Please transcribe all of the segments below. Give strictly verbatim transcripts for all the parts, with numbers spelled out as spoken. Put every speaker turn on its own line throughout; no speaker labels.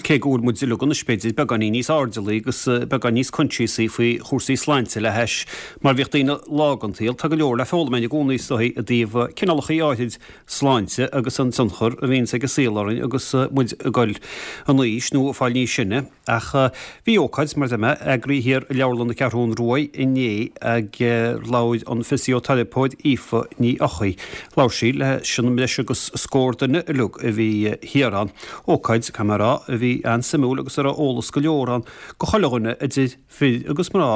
Cé go bhfuil muid uilig anois b'fhéidir beagáinín níos airdeallaí agus beagán níos coinsiasaí faoi chúrsaí sláinte le hais mar bhíodh daoine lá den tsaol, tá go leor le foghlaim againn i gcónaí is dóigh i dtaobh cineálacha áirid sláinte agus an tionchar a bhíonns ag an saol orainn agus muid ag dul in aois nó ag fáil níos sine. Ach bhí ócáid, mar a deir mé, eagraithe thiar i Leabharlann na Ceathrún Rua inné ag labhair an fisioteiripeoir Aoife Ní Eochaidh. Labhair sí leis an mbreis agus scór duine uilig a bhí thiar ann. Ócáid, caithfidh mé a rá, a bhí an-suimiúil agus a raibh eolas go leor ann go chuile dhuine idir fir agus mná,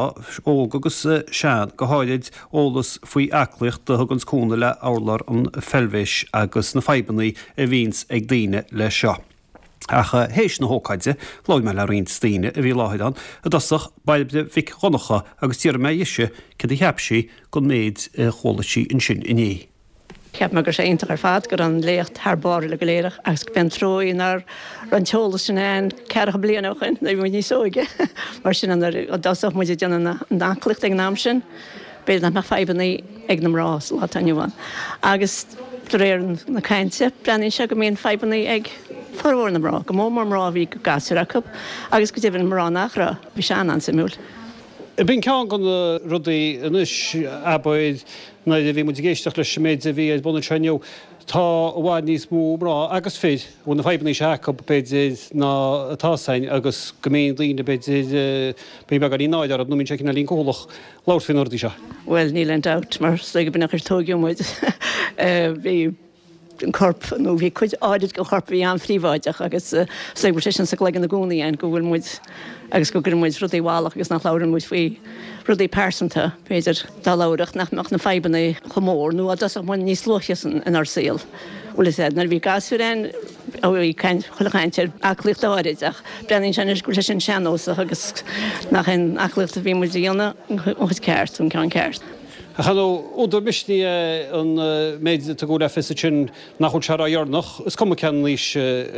óg agus sean, go háirid eolas faoi aclaíocht a thuganns cúnamh le urlár an pheilbhis agus na fadhbanna a bhíonns ag daoine leis seo. Ach théis na hócáide, labhair mé le roinnt daoine a bhí i láthair ann, i dtosach Bairbre Mhic Dhonncha agus d'fhiafraigh mé dhise céard a cheap sí den méid a chuala sí ansin inné.
Cheap mé go raibh sé iontach ar fad, go raibh an léacht thar barr uilig go léir agus go b'é an trua nach raibh an t-eolas sin ann ceathracha bliain ó shin nuair a bhí muid níos óige. Mar sin nuair a dtosódh muid ag déanamh na aclaíochta ag an am sin, b'fhéidir nach mbeadh fadhbanna ag na mná sa lá atá inniu ann. Agus de réir na cainte, breathnaíonn sé go mbíonn fadhbanna ag formhór na mná, go mór mór mná a bhí gasúir acu agus go deimhin mná nach raibh. Bhí sé an-an-suimiúil.
B'in ceann de na rudaí anois, abair, nuair a bhí muid ag éisteacht leis an méid a bhí ar bun anseo inniu, tá i bhfad níos mó mná agus fir a bhfuil na fadhbanna seo acu, b'fhéidir, ná atá againn agus go mbíonn daoine, b'fhéidir, bíonn beagáinín náire orthu nó bíonn sé cineáilín cúthalach labhairt faoi na rudaí seo.
Bhuel, níl aon dabht, mar is dóigh go b'in an chaoi ar tóigeadh muid. Bhí an corp, nó bhí cuid áirid den chorp a bhí an-phríobháideach agus is dóigh go bhfuil sé sin sa gcloigeann i gcónaí againn, go bhfuil muid, agus go gcuireann muid rudaí i bhfolach agus nach labhrann muid faoi rudaí pearsanta, b'fhéidir, dá labharfadh nach mbeadh na fadhbanna chomh mór nó dá dtosódh muid níos luaithe inár saol. Bhuel is ea, nuair a bhí gasúir againn, bhí caint, chuile chaint ar aclaíocht áirid ach breathnaíonn sé anois go bhfuil sé sin sean-nósach agus nach é an aclaíocht a bhí muid a dhéanamh an chuid ceart, an ceann ceart.
Ach ar ndóigh, údar misnigh é an méid a tugadh le fios ansin nach bhfuil sé ródheireanach, is cuma cén aois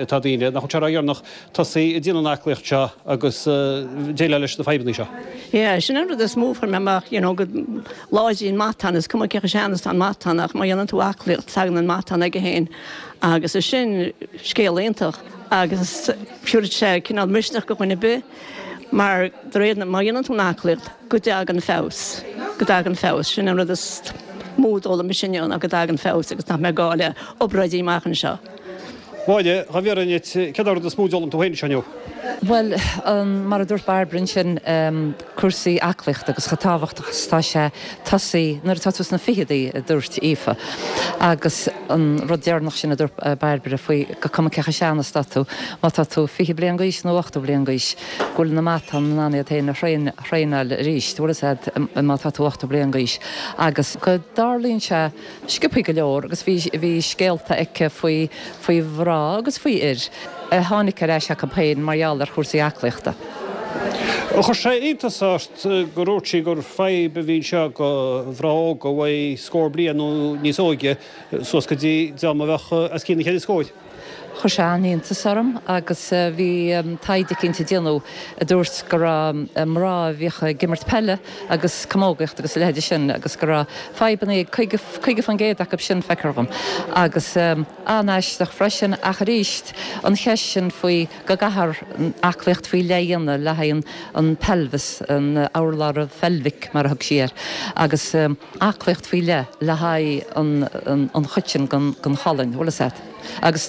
atá daoine, nach bhfuil sé ródheireanach tosaí ag déanamh an aclaíocht seo agus déileáil leis na fadhbanna seo.
Yeah, sin an rud is mó a fuair mé amach, you know, go láidríonn matán, is cuma cé chomh sean is atá an matán ach má dhéanann tú aclaíocht tagann an matán aige féin agus is sin scéal iontach agus tabharfaidh sé cineál misneach do dhuine ar bith mar de réir má dhéanann tú an aclaíocht go dtagann feabhas, go dtagann feabhas, sin an rud is mó a d'fhoghlaim mise inniu ná go dtagann feabhas agus nach mbeidh gá le obráidí amach anseo.
Máire, dá bhfiafróinn díot, céard é an rud is mó a d'fhoghlaim tú féin anseo inniu?
Bhuel, mar a dúirt Bairbre ansin, cúrsaí aclaíochta agus chomh tábhachtach is atá sé tosaí nuair atá tú sna ficheadaí, a dúirt Aoife. Agus an rud deireanach sin a dúirt Bairbre faoi gur cuma cé chomh sean is atá tú, má tá tú fiche bliain d'aois nó ochtó bliain d'aois, go bhfuil na matáin in ann iad féin a thraenáil arís, bhfuil fhios a'd, má tá tú ochtó bliain d'aois. Agus go dtarlaíonn sé sciobthaí go leor agus bhí, bhí scéalta aici faoi, faoi mhná agus faoi fhir a tháinig ar ais acu féin mar gheall ar chúrsaí aclaíochta.
Chuir sé iontas ort gur dhúirt sí gur fadhb a bhí anseo do mhná óga a bheidh scór bliain nó níos óige suas go dtí dream a bheadh os cionn an cheithre scóir.
Chuir sé an-iontas orm agus bhí taighde eicínt a déanadh a dúirt go raibh mná a bhíodh ag imirt peile agus camógaíocht agus a leithéide sin agus go raibh fadhbanna ag caoga caoga faoin gcéad acu sin, feictear dhom. Agus an-aisteach freisin ach arís an cheist sin faoi go gcaithfear aclaíocht faoi leith a dhéanamh le haghaidh an pelvis, an urlár pheilbhic mar a thug sí air, agus aclaíocht faoi leith le haghaidh an an chuid sin den cholainn, bhfuil fhios a'd. Agus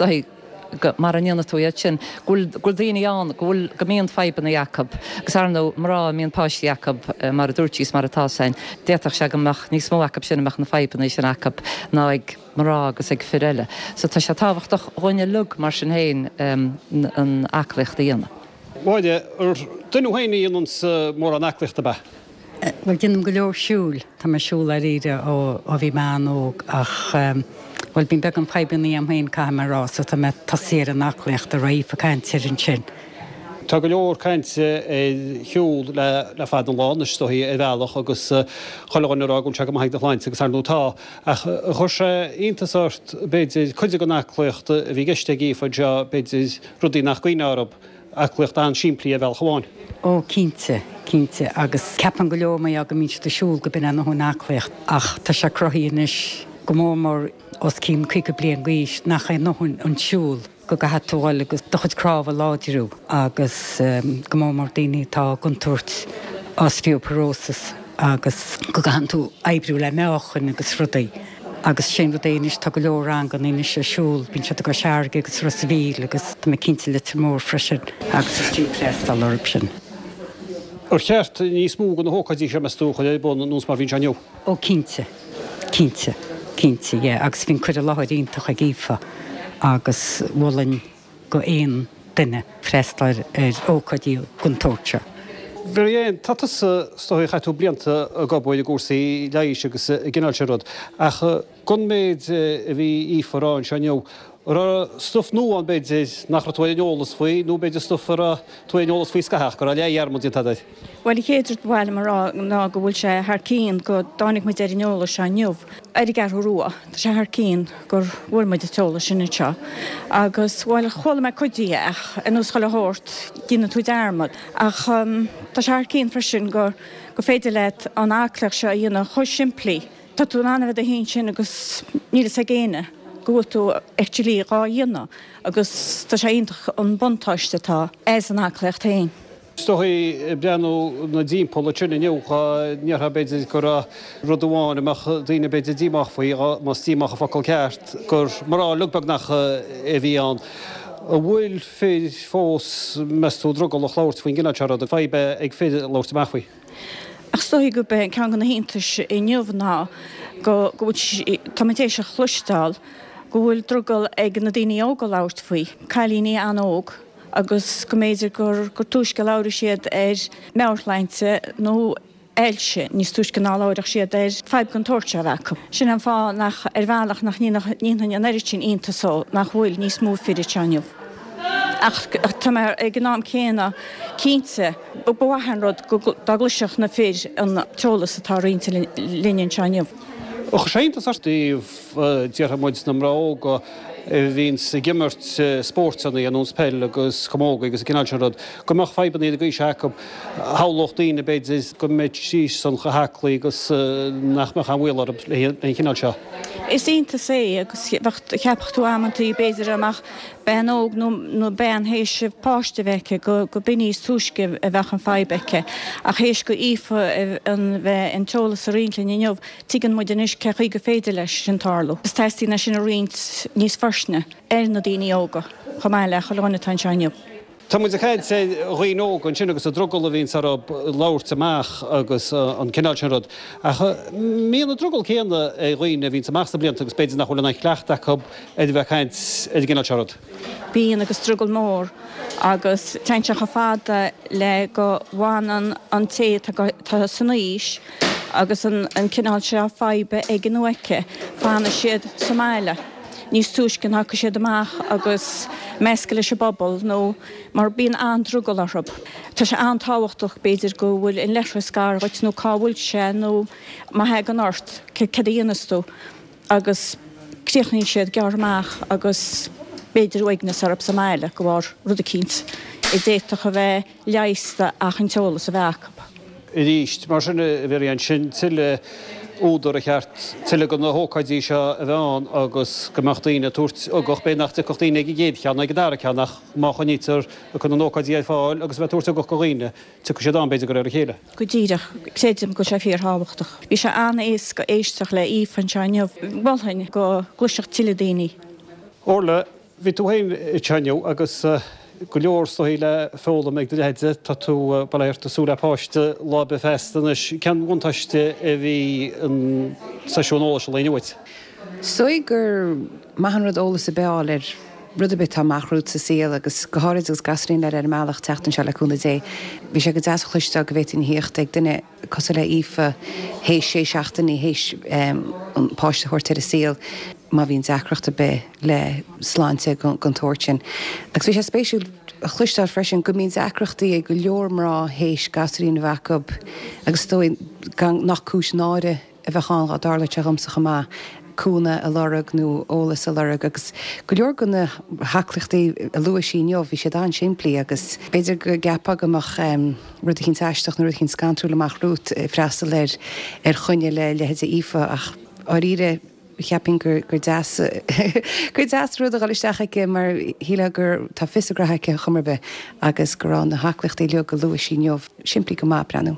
go, mara ndéanfaidh tú iad sin, go bhfuil, go bhfuil daoine ann go bhfuil, go mbíonn fadhbanna acu. Agus ar ndóigh, mná a mbíonn páistí acu, mar a dúirt sí is mar atá fhios a'inn, d'fhéadfadh sé go mbeadh níos mó acu sin a mbeadh na fadhbanna sin acu ná ag mná agus ag fir eile. So tá sé tábhachtach dhúinn uilig mar sin féin an aclaíocht a dhéanamh.
Máire, Ar duine thú féin a dhéananns mórán aclaíochta ab ea?
Bhuel, déanaim go leor siúil. Tá mé ag siúl dáiríre ó ó bhí mé an-óg ach, bhuel, bíonn beagán fadhbanna agam féin, caithfidh mé a rá, so tá mé ag tosaí ar an aclaíocht a raibh Aoife ag caint air ansin.
Tá go leor cainte ar shiúl le le fada an lá anois, is dóichí, ar bhealach agus chuile dhuine ag rá go bhfuil sé go maith do shláinte agus ar ndóigh tá. Ach chuir sé iontas ort, b'fhéidir, cuid den aclaíocht a bhí i gceist ag Aoife anseo, b'fhéidir, rudaí nach gcuimhneofá orthu. Aclaíocht an-simplí ar bhealach amháin.
Ó, cinnte, cinnte. Agus ceapann go leor mar gheall go mbíonn siad ag siúl go b'in é a ndóthain aclaíocht. Ach tá sé cruthaithe anois, go mór mór os cionn caoga bliain d'aois, nach é a ndóthain an siúl. go gcaithfidh tú dhul agus do chuid cnámh a láidriú agus go mór mór daoine atá i gcontúirt osteoporosis agus go gcaitheann tú oibriú le meáchain agus rudaí. Agus sin rud é anois, tá go leor ranganna anois ar siúl, bíonn siad i gCois Fharraige agus Ros a' Mhíl agus tá mé cinnte Leitir Móir freisin agus is fiú freastal orthu sin.
Ar cheart níos mó de na hócáidí seo, meas tú, a chur ar bun nós mar a bhí anseo inniu?
Ó cinnte, cinnte, cinnte, yeah, agus bhí an cur i láthair iontach ag Aoife agus mholfainn go aon duine freastal ar ócáidí den tsórt seo.
Mary Ann, tá tusa, is dóigh, chaith tú blianta ag obair i gcúrsaí leighis agus an gcineál sin rud, ach den méid a bhí Aoife a rá anseo inniu, an raibh stuif nua ann b'fhéidir nach raibh tú ar an eolas faoi nó b'fhéidir stuif a raibh tú ar an eolas faoi scaitheamh ach go raibh leathdhearmad déanta agat air?
Bhuel, an chéad rud ba mhaith liom a rá ná go bhfuil sé thar cionn go dtáinig muid ar an eolas seo inniu ar an gCeathrú Rua. Tá sé thar cionn gur bhfuair muid an t-eolas sin anseo agus, bhuel, chuala mé cuid de ach ar nós chuile shórt, déanann tú dearmad. Ach tá sé thar cionn freisin gur gur féidir leat an aclaíocht seo a dhéanamh chomh simplí. Tá tú in ann a bheith i do shuí ansin agus níl fhios ag éinne go bhfuil tú actually dhá dhéanamh agus tá sé iontach an buntáiste atá as an aclaíocht féin.
Is dóigh, ag breathnú 'na dtimpeall ansin inniu, dhá ndéarfá b'fhéidir go raibh rud amháin a mbeadh daoine b'fhéidir díomách faoi, más díomách an focal ceart, gur mná uilig beagnach a bhí ann. An bhfuil fir fós, meas tú, drogallach labhairt faoin gcineál seo ruda, fadhb é ag fir labhairt amach faoi?
Ach is dóigh gurb é ceann de na hiontais inniu ná go bhfuil, tá muid théis a chloisteáil go bhfuil drogall ag na daoine óga labhairt faoi, cailíní an-óg, agus go mb'fhéidir gur gur túisce a labhróidh siad ar meabhairshláinte nó ailse níos túisce ná labhródh siad ar fadhb den tsórt seo a bheith acu. Sin an fáth nach, ar bhealach, nach ndéanfainn an oiread sin iontais dó nach bhfuil níos mó fir anseo inniu. Ach tá mé ag an am céanna cinnte, ba mhaith an rud dá gcloisfeadh na fir an t-eolas atá roinnte linn anseo inniu.
Ach sé iontas ort i dtaobh, déarfaidh muid, na mná óga a bhíonns ag imirt spóirteanna ar nós peil agus camógaí agus an cineál sin rud, go mbeadh fadhbanna ar an gcaoi seo acu. Shamhlódh daoine, b'fhéidir, go mbeidís san chomh haclaí agus nach mbeadh aon bhaol orthu leis an chineál seo.
Is iontas é agus cheapfadh tú amantaí, b'fhéidir, dá mbeadh bean óg nó bean théis páiste a bheith aici go b'in níos túisce a bheadh an fadhb aici. Ach théis go Aoife an bheith an t-eolas a roinnt linn inniu, tuigeann muid anois cé chaoi gur féidir leis sin tarlú. Is teastaíonn é sin a roinnt níos forleithne ar na daoine óga chomh maith le chuile dhuine atá anseo inniu.
Tá muid ag caint ar dhaoine óga ansin agus an drogall a bhíonns orthu labhairt amach agus an cineál sin rud. Ach an mbíonn an drogall céanna ar dhaoine a bhíonns amach sna blianta agus b'fhéidir nach bhfuil an cleachtadh acu ar a bheith ag caint ar an gcineál seo rud.
Bíonn agus drogall mór agus téann sé chomh fada le go bhfanann an té atá san aois agus an cineál seo faidhbe aige nó aici, fanann siad sa mbaile. níos túisce ná thiocfaidh siad amach agus meascadh leis an bpobal nó mar bíonn an-drogall orthu. Tá sé an-tábhachtach b'fhéidir go bhfuil an leithreas gar dhuit nó cá bhfuil sé nó má thagann ort céard a dhéanfas tú agus críochnaíonn siad gearrtha amach agus b'fhéidir uaigneas orthu sa mbaile de bharr rud eicínt a d'fhéadfadh a bheith leigheasta ach an t-eolas a bheith acu.
Arís, mar sin a Mhary Ann, sin tuilleadh údar ar cheart tuilleadh de na hócáidí seo a bheith ann agus go mbeadh daoine ag tabhairt ugach, b'fhéidir nach dtiocfadh daoine ag an gcéad cheann nó ag an dara ceann ach má choinnítear ag cur na n-ócáidí ar fáil agus a bheith ag tabhairt ugach do dhaoine, tiocfaidh siad ann b'fhéidir de réir a chéile.
Go díreach. Creidim go bhfuil sé fíorthábhachtach. Bhí sé an-éasca éisteacht le Aoife anseo inniu. Mholfainn go gcloisfeadh tuilleadh daoine.
Orla, Bhí tú féin anseo inniu agus go leor is dóigh le foghlaim ag do leithéide. Tá tú, bail ó Dhia ort, ag súil le páiste lá ar bith feasta anois. Cén bhuntáiste a bhí an seisiún eolais an lae inniu uait?
Is dóigh gur maith an rud eolas ar bith a fháil ar rud ar bith atá amach romhat sa saol agus go háirid agus gasúirín eile ar an mbealach teacht anseo le cúnamh Dé. Bhí sé go deas a chloisteáil go bhféadfainn a thíocht ag duine cosúil le Aoife théis sé seachtainí théis an páiste a thabhairt ar an saol. má bhíonn deacracht ar bith le sláinte den tsórt sin. Agus bhí sé spéisiúil a chloisteáil freisin go mbíonn deacrachtaí ag go leor mná théis gasúirín a bheith acu agus is dóigh gan nach cúis náire a bheadh ann dá dtarlódh sé dhomsa chomh maith, cúnamh a lorg nó eolas a lorg agus go leor de na haclaíochtaí a luaigh sí inniu bhí siad an-simplí agus b'fhéidir go gceapfá go mbeadh rud eicínt aisteach nó rud eicínt scantrúil amach romhat ag freastal ar ar choinne le leithéidí Aoife ach dháiríre Cheapfainn gur gur deas gur deas rud a dhul isteach aici mar shílfeá gur tá fios a graithe aici chuma ar bith agus go raibh na haclaíochtaí uilig a luaigh sí inniu simplí go maith breathnú.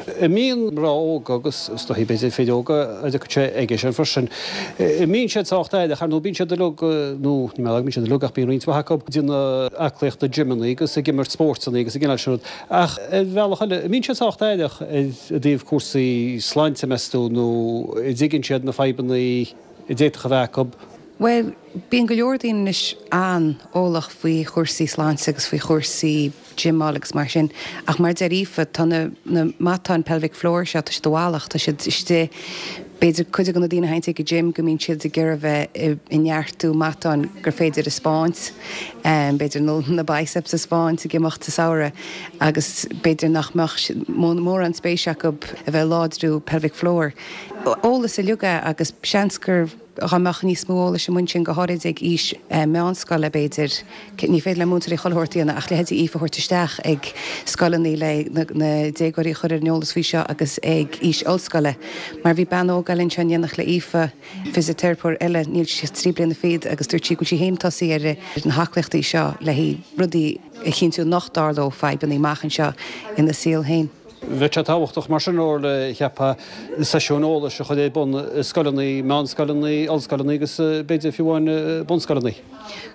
Mbíonn mná óga agus is dóichí b'fhéidir fir óga a dtiocfaidh sé aige sin freisin. Mbíonn siad sách aireach ar nó bíonn siad uilig nó ní mar bíonn siad uilig ach bíonn roinnt mhaith acu ag déanamh aclaíochta gymeanna agus ag imirt spórtanna agus an cineál sin rud. Ach ar bhealach eile, mbíonn siad sách aireach i dtaobh cúrsaí sláinte meas tú nó an dtuigeann siad na fadhbanna a d'fhéadfadh a bheith acu.
Well, bíonn go leor daoine anois an-eolach faoi chúrsaí sláinte agus faoi chúrsaí gymeáil agus mar sin, ach mar deir Aoife, tá na, na matáin pelvic floor seo, tá siad i bhfalach, tá siad istigh, b'fhéidir cuid de na daoine a théann ag an gym go mbíonn siad ag iarraidh bheith ag neartú matáin gur féidir a 'spáint, b'fhéidir nó na biceps a 'spáint ag imeacht sa samhradh agus b'fhéidir nach mbeadh mórán spéis acu a bheith láidriú pelvic floor. Eolas uilig é agus seans gur dá mbeadh níos mó eolais amuigh ansin go háirid ag aois meánscoile b'fhéidir, ní féidir le múinteoirí chuile shórt a dhéanamh ach leithéidí Aoife a thabhairt isteach ag scoileanna le na déagóirí a chur ar an eolas faoi seo agus ag aois ollscoile. Mar bhí bean óg eile anseo in éineacht le Aoife, fisiteiripeoir eile, níl sí ach trí bliana fichead agus dúirt sí go bhfuil sí féin tosaithe ar na haclaíochtaí seo le haghaidh rudaí a chinntiú nach dtarlódh fadhbanna amach anseo ina saol féin.
Bheadh sé tábhachtach mar sin Orla, cheapfá, seisiúin eolais a chur ar bun i scoileanna, meánscoileanna, ollscoileanna agus b'fhéidir fiú amháin bunscoileanna.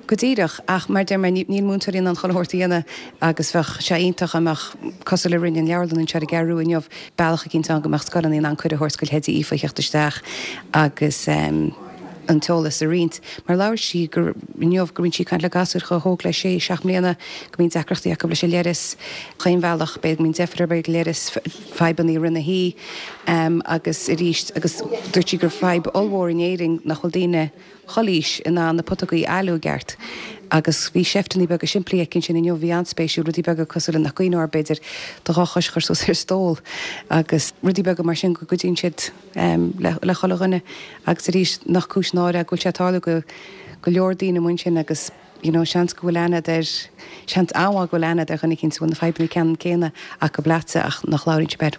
Go díreach, ach mar deir mé, níl múinteoirí in ann chuile shórt a dhéanamh agus bheadh sé iontach dá mbeadh, cosúil le rinne an leabharlann anseo ar an gCeathrú inniu, bealach eicínt ann go mbeadh scoileanna in ann cuireadh a thabhairt go leithéidí Aoife a theacht isteach agus an t-eolas a roinnt. Mar labhair sí gur inniu go mbíonn sí ag caint le gasúir chomh hóg le sé, seacht mbliana, go mbíonn deacrachtaí acu leis an leithreas, chaon bhealach, b'fhéidir go mbíonn deifir orthu ag leithreas, fadhbanna i rith na hoíche agus arís agus dúirt sí gur fadhb ollmhór in Éirinn nach bhfuil daoine chuile aois in ann na putógaí a fhailiú i gceart. Agus bhí seifteanna beaga simplí aici ansin inniu, bhí an-spéisiúil, rudaí beaga cosúil le nach gcuimhneofá b'fhéidir do dhá chois a chur suas ar stól agus rudaí beaga mar sin go gcuidíonn siad le chuile dhuine. Agus arís, nach cúis náire é go bhfuil sé ag tarlú go go leor daoine amuigh ansin agus you know seans go bhfuil aithne agat ar, seans an-mhaith go bhfuil aithne agat ar dhuine eicínt a bhfuil na fadhbanna ceannann céanna acu leatsa ach nach labhraíonn sibh air.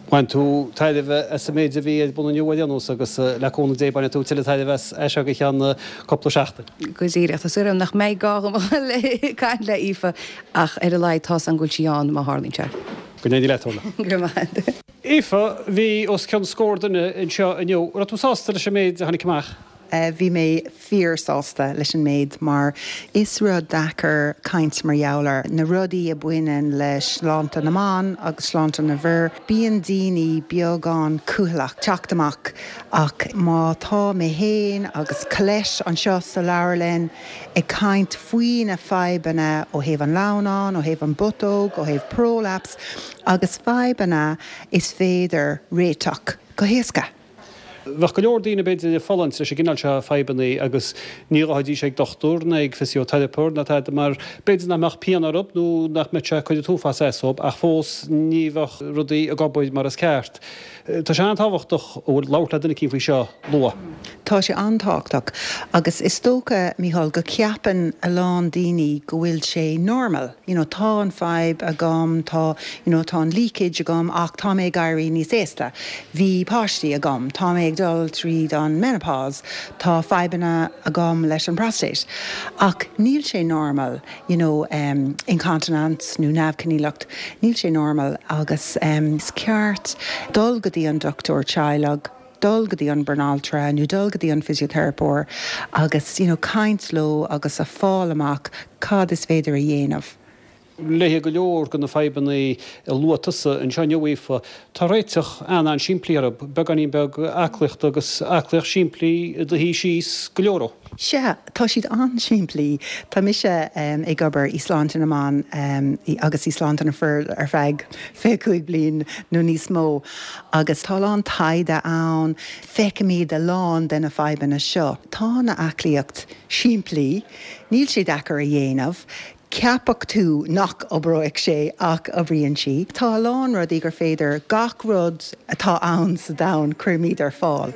Bhain tú tairbhe as an méid a bhí ar bun inniu ar aon nós agus le cúnamh Dé bainfidh tú tuilleadh tairbhe as as seo go ceann cúpla seachtain.
Go díreach. Tá súil agam nach mbeidh gá dhom a dhul ag caint le Aoife ach ar a laghad tá's agam go bhfuil sí ann má tharlaíonn sé.
Go n-éirí leat, Orla.
Go raibh maith agat.
Aoife, bhí os cionn scór duine anseo inniu. Raibh tú sásta leis an méid a tháinig amach?
Bhí mé fíor-sásta leis an méid mar is rud deacair caint mar gheall ar na rudaí a bhaineann le sláinte na mban agus sláinte na bhfir. Bíonn daoine beagán cúthaileach teacht amach ach má tá mé féin agus Colette anseo sa leabharlann ag caint faoi na fadhbanna ó thaobh an lamhnán, ó thaobh an bputóg, ó thaobh prolapse agus fadhbanna is féidir réiteach go héasca.
Bheadh go leor daoine b'fhéidir ag fulaingt leis an gcineál seo fadhbanna agus ní ghabhfaidís ag dochtúir ná ag fisiteiripeoir ná tada mar b'fhéidir nach mbeadh pian orthu nó nach mbeadh sé ag cur an t-uafás as dóibh ach fós ní bheadh rudaí ag obair mar is ceart. Tá sé an-tábhachtach a bhfuil labhairt le duine eicínt faoi seo luath.
Tá sé an-tábhachtach agus is dócha, Mícheál, go ceapann a lán daoine go bhfuil sé normal, you know, tá an fadhb agam, tá, you know, tá an leakage agam ach tá mé ag éirí níos aosta. Bhí páistí agam, tá mé ag dul tríd an menopause, tá fadhbanna agam leis an prostate. Ach níl sé normal, you know, um, incontinence nó neamhchoinníollacht, níl sé normal agus um, is ceart dul go dtí an dochtúir teaghlaigh, dul go dtí an banaltra nó dul go dtí an fisiteiripeoir agus you know, caint leo agus a fáil amach cad is féidir a dhéanamh.
Le go leor de na fadhbanna a luaigh tusa anseo inniu Aoife, tá réiteach an-an-simplí orthu, beagáinín beag aclaíochta agus aclaíocht simplí i do shuí síos go leor.
Sea, tá siad an-simplí. Tá mise um, ag obair i sláinte na mban um, agus i sláinte na bhfear ar feadh fiche cúig bliain nó níos mó. Agus tá lán taighde ann, feicimid a lán de na fadhbanna seo. Tá na aclaíocht simplí, níl sé deacair a dhéanamh, Ceapfadh tú nach oibreoidh sé ach oibríonn sí. Tá a lán rudaí gur féidir gach rud atá ann sa domhan cuirimid ar fáil.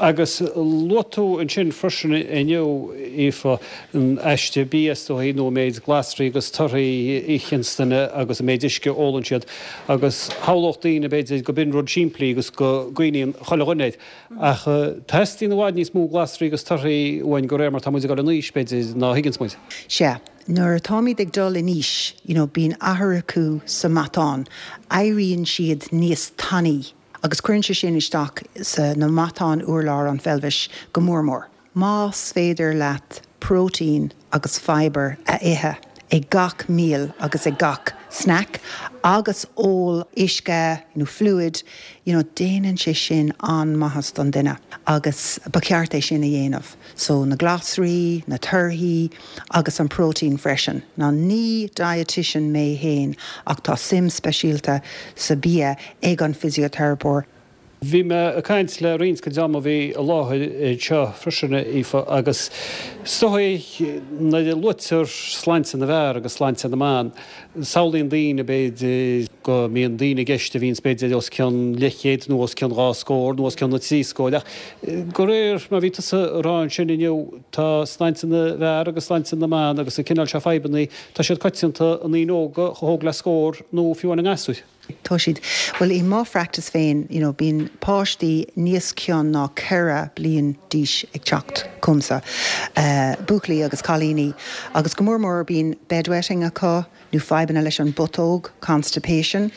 Agus luaigh tú ansin freisin inniu, Aoife, an aiste bia is dóigh nó an méid glasraí agus torthaí a itheann duine agus an méid uisce a ólann siad agus shamhlódh daoine b'fhéidir go b'in rud simplí agus go gcuimhníonn chuile dhuine air. Ach teastaíonn i bhfad níos mó glasraí agus torthaí uainn de réir mar tá muid ag dul in aois b'fhéidir ná thuigeanns muid.
Sea, nuair atáimid ag dul in aois, you know, bíonn athrú sa matán, éiríonn siad níos tanaí agus cuireann sé sin isteach sa na matáin urlár an pheilbhis go mór mór. Más féidir leat protein agus fibre a ithe ag gach meal agus ag gach snack agus ól uisce nó fluid, you know, déanann sé sin an-mhaitheas don duine agus ba cheart é sin a dhéanamh. So na glasraí, na torthaí agus an protein freisin. Ná ní dietitian mé féin ach tá suim speisialta sa bia ag an fisioteiripeoir.
Bhí mé ag caint le roinnt den dream a bhí i láthair anseo freisin, Aoife, agus is dóigh nuair a luaitear sláinte na bhfear agus sláinte na mban, samhlaíonn daoine b'fhéidir go mbíonn daoine i gceist a bhíonns b'fhéidir os cionn leathchéad nó os cionn dhá scór nó os cionn na trí scóir ach de réir mar a bhí tusa a rá ansin inniu tá sláinte na bhfear agus sláinte na mban agus an cineál seo fadhbanna, tá siad coitianta i ndaoine óga chomh hóg le scór nó fiú amháin i ngasúir.
Tá siad, bhuel i mo phractice féin, you know, bíonn páistí níos cionn ná ceithre bliain d'aois ag teacht chugamsa, buachaillí agus cailíní, agus go mór mór bíonn bedwetting acu nó fadhbanna leis an bputóg, constipation.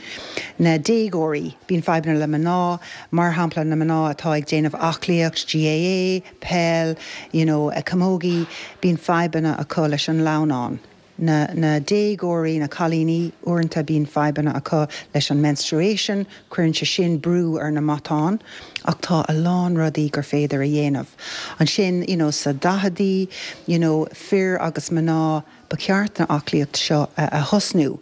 Na déagóirí, bíonn fadhbanna le mná, mar shampla na mná atá ag déanamh aclaíocht, GAA, peil, you know, camogie, bíonn fadhbanna acu leis an lamhnán. Na na déagóirí, na cailíní, uaireanta bíonn fadhbanna acu leis an menstruation, cuireann sé sin brú ar na matáin, ach tá a lán rudaí gur féidir a dhéanamh. Ansin, you know, sa daicheadaí, you know, fir agus mná, ba cheart na aclaíocht seo a thosnú.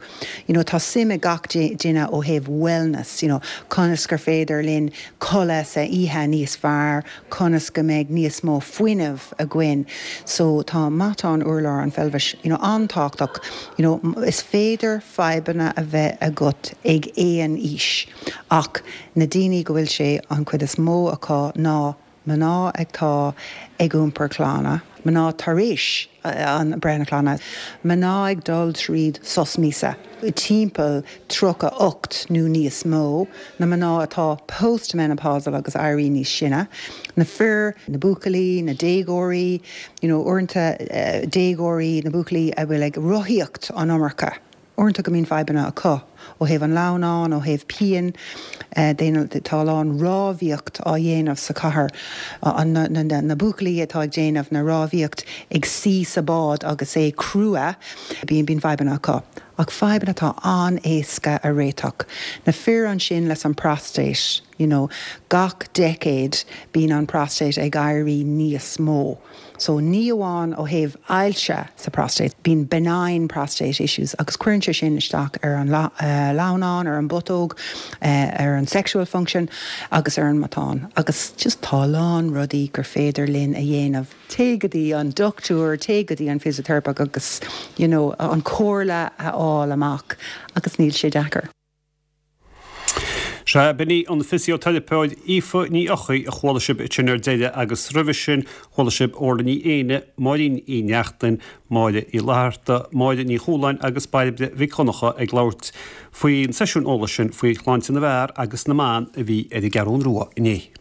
You know, tá suim ag gach duine ó thaobh wellness, you know, conas gur féidir linn codladh sa oíche níos fearr, conas go mbeidh níos mó fuinnimh againn. So tá matán urlár an pheilbhis, you know, an-tábhachtach. You know, is féidir fadhbanna a bheith agat ag aon aois ach na daoine go bhfuil sé an chuid is mó acu ná mná atá ag iompar clainne, mná tar éis an breith na clainne, mná ag dul tríd sos míosa, timpeall tríocha ocht nó níos mó, na mná atá postmenopausal agus éirí níos sine, na fir, na buachaillí, na déagóirí, you know, uaireanta déagóirí, na buachaillí a bhfuil ag rothaíocht an iomarca. Uaireanta go mbíonn fadhbanna acu ó thaobh an lamhnán, ó thaobh pian, tá a lán rámhaíocht á dhéanamh sa chathair, na buachaillí atá ag déanamh na rámhaíocht ag suí sa bád agus é crua, bíonn fadhbanna acu. Ach fadhbanna atá an-éasca a réiteach. Na fir ansin leis an prostate, you know, gach decade bíonn an prostate ag éirí níos mó. So ní amháin ó thaobh ailse sa prostate, bíonn benign prostate issues agus cuireann sé sin isteach ar an lamhnán, ar an bputóg, ar an sexual function agus ar an matán. Agus just tá a lán rudaí gur féidir linn a dhéanamh. Téigh go dtí an dochtúir, téigh go dtí an physiotherapist agus you know, an comhairle a fháil amach agus níl sé deacair.
Sea, b'in í an fisioteiripeoir Aoife Ní Eochaidh a chuala sibh ansin ar deireadh agus roimhe sin chuala sibh Orla Ní Éinne, Máirín Uí Neachtain, Máire Uí Fhlatharta, Máire Ní Chualáin agus Bairbre Mhic Dhonncha ag labhairt faoin seisiún eolais sin faoi shláinte na bhfear agus na mban a bhí ar an gCeathrú Rua inné.